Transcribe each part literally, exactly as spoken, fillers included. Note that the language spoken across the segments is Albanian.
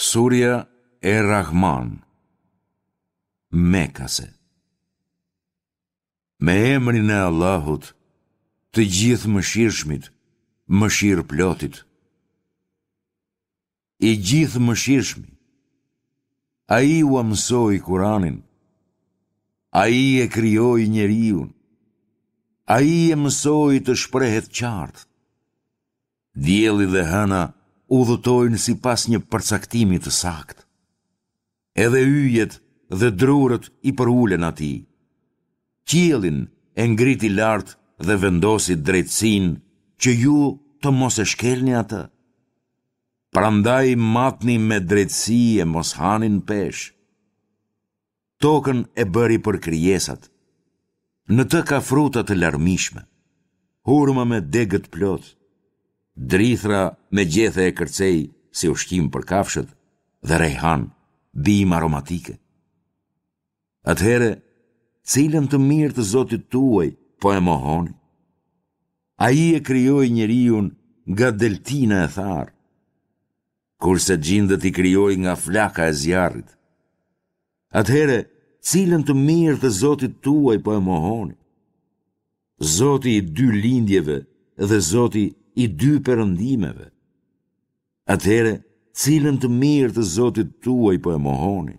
Surja Er-Rahman, Mekase. Me emrin e Allahut, të Gjithëmëshirshmit, Mëshirëplotit. I Gjithëmëshirshmi. Ai ua mësoi Kuranin. Ai e krijoi njeriun. Ai e mësoi të shprehet qartë. Dielli dhe hëna udhëtojnë sipas një përcaktimi të saktë. Edhe yjet dhe drurët i përulen atij. Qiellin e ngriti lart dhe vendosi drejtësinë që ju të mos e shkelni atë. Prandaj matni me drejtësi e mos hani në peshë. Tokën e bëri për krijesat. Në të ka fruta të larmishme, hurma me degët plot, drithra me gjethe e kërcej si ushqim për kafshët dhe rejhan, bimë aromatike. Atëherë, cilën të mirë të Zotit tuaj po e mohoni? Ai e krijoi njeriun nga deltina e tharë, kurse xhindët i krijoi nga flaka e zjarrit. Atëherë, cilën të mirë të Zotit tuaj po e mohoni? Zoti i dy lindjeve dhe Zoti i dy perëndimeve. Atëherë, cilën të mirë të Zotit tuaj po e mohoni?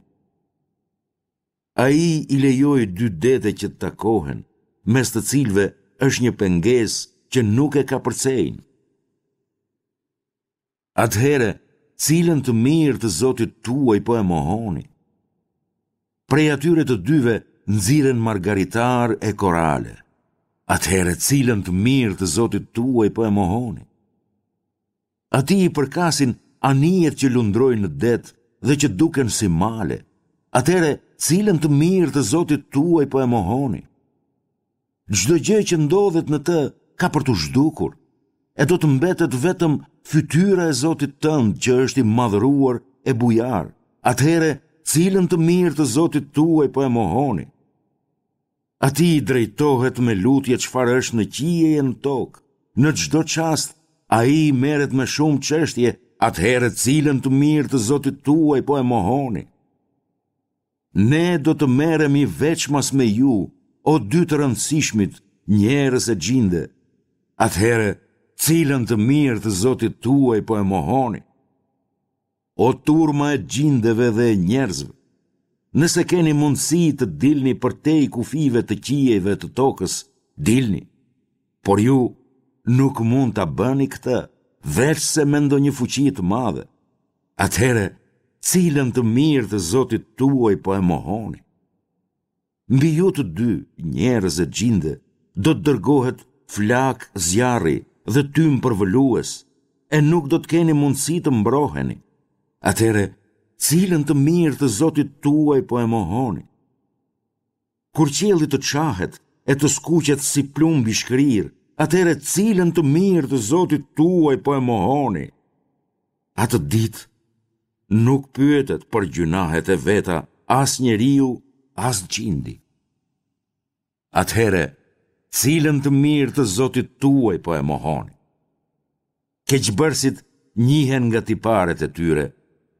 Ai i lejoi dy dete që të takohen, mes të cilëve është një pengesë që nuk e kapërcejnë. Atëherë, cilën të mirë të Zotit tuaj po e mohoni? Prej atyre të dyve nxirren margaritarë e korale. Atëherë, cilën të mirë të Zotit tuaj po e mohoni? Atij i përkasin anijet që lundrojnë në det dhe që duken si male. Atëherë, cilën të mirë të Zotit tuaj po e mohoni? Çdo gjë që ndodhet në të ka për t'u zhdukur, e do të mbetet vetëm fytyra e Zotit tënd që është i madhëruar e bujar. Atëherë, cilën të mirë të Zotit tuaj po e mohoni? Atij i drejtohet me lutje çfarë është në qiej e në tokë. Në çdo çast ai merret me shumë çështje, atëherë cilën të mirë të Zotit tuaj po e mohoni? Ne do të merremi veçmas me ju, o dy të rëndësishmit, njerëz e xhinde. Atëherë, cilën të mirë të Zotit tuaj po e mohoni? O turma e xhindeve dhe e njerëzve, nëse keni mundësi të dilni përtej kufijve të qiejve të tokës, dilni. Por ju nuk mund ta bëni këtë, veçse me ndonjë fuqi të madhe. Atëherë, cilën të mirë të Zotit tuaj po e mohoni? Mbi ju të dy, njerëz e xhinde, do të dërgohet flakë zjarri dhe tym përvëlues, e nuk do të keni mundësi të mbroheni. Atëherë, cilën të mirë të Zotit tuaj po e mohoni? Kur qielli të çahet e të skuqet si plumb i shkrirë, atëherë cilën të mirë të Zotit tuaj po e mohoni? Atë ditë nuk pyetet për gjynahet e veta as njeriu, as xhindi. Atëherë, cilën të mirë të Zotit tuaj po e mohoni? Keqbërësit njihen nga tiparet e tyre,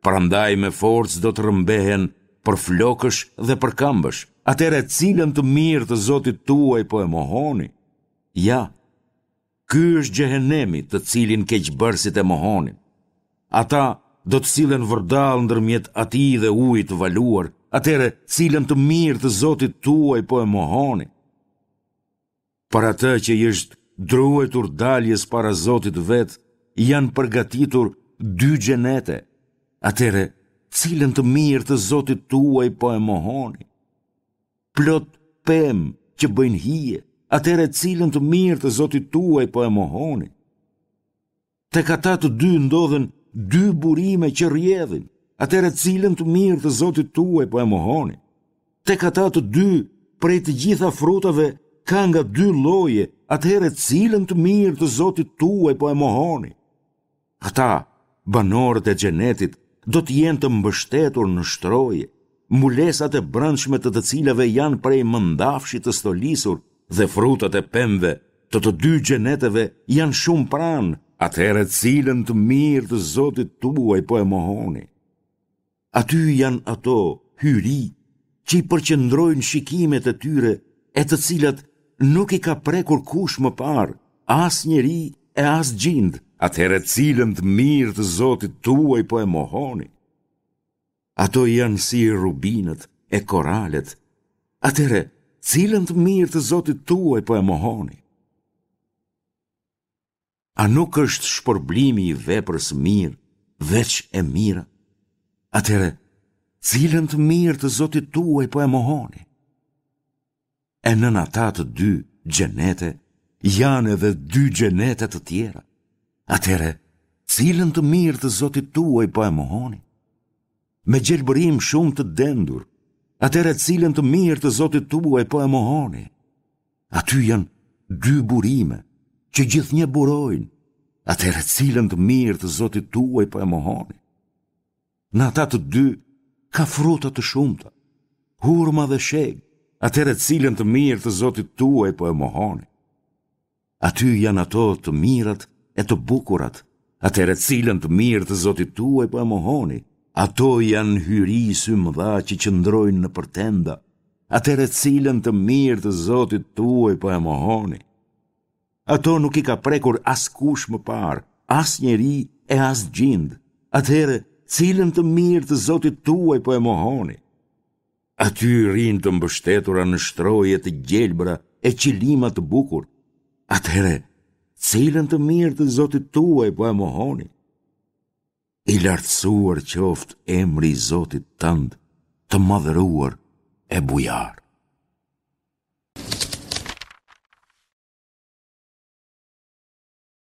prandaj me forcë do të rrëmbehen për flokësh dhe për këmbësh. Atëherë cilën të mirë të Zotit tuaj po e mohoni? Ja, ky është xhehenemi të cilin keqbërësit e mohonin. Ata do të sillen vërdallë ndërmjet atij dhe ujit të valuar. Atëherë cilën të mirë të Zotit tuaj po e mohoni? Për atë që i është druajtur daljes para Zotit të vet, janë përgatitur dy xhenete. Atëherë, cilën të mirë të Zotit tuaj po e mohoni? Plot pemë që bëjnë hije, atëherë cilën të mirë të Zotit tuaj po e mohoni? Tek ata të dy ndodhen dy burime që rrjedhin, atëherë cilën të mirë të Zotit tuaj po e mohoni? Tek ata të dy prej të gjitha frutave ka nga dy lloje, atëherë cilën të mirë të Zotit tuaj po e mohoni? Ata, banorët e xhenetit, do të jenë të mbështetur në shtroje, mbulesat e brendshme të të cilave janë prej mëndafshi të stolisur dhe frutat e pemëve të të dy xheneteve janë shumë pranë, atëherë cilën të mirë të Zotit tuaj po e mohoni? Aty janë ato hyri që i përqendrojnë shikimet e tyre e të cilat nuk i ka prekur kush më parë, as njeri e as xhind. Atëherë cilën të mirë të Zotit tuaj po e mohoni? Ato janë si rubinët e koralet. Atëherë, cilën të mirë të Zotit tuaj po e mohoni? A nuk është shpërblimi i veprës së mirë, veç e mira? Atëherë, cilën të mirë të Zotit tuaj po e mohoni? E nën ata të dy xhenete janë edhe dy xhenete të tjera. Atëherë, cilën të mirë të Zotit tuaj po e mohoni? Me gjelbërim shumë të dendur, atëherë cilën të mirë të Zotit tuaj po e mohoni? Aty janë dy burime që gjithnjë burojnë, atëherë cilën të mirë të Zotit tuaj po e mohoni? Në ata të dy ka fruta të shumta, hurma dhe shegë, atëherë cilën të mirë të Zotit tuaj po e mohoni? Aty janë ato të mirat e të bukurat, atëherë cilën të mirë të Zotit tuaj po e mohoni? Ato janë hyri symëdha që qëndrojnë nëpër tenda, atëherë cilën të mirë të Zotit tuaj po e mohoni? Ato nuk i ka prekur askush më parë, as njeri e as xhind, atëherë cilën të mirë të Zotit tuaj po e mohoni? Aty rrinë të mbështetura në shtroje të gjelbra e qilima të bukur. Atëherë, cilën të mirë të Zotit tuaj po e mohoni? I lartësuar qoftë emri i Zotit tënd, të madhëruar e bujar.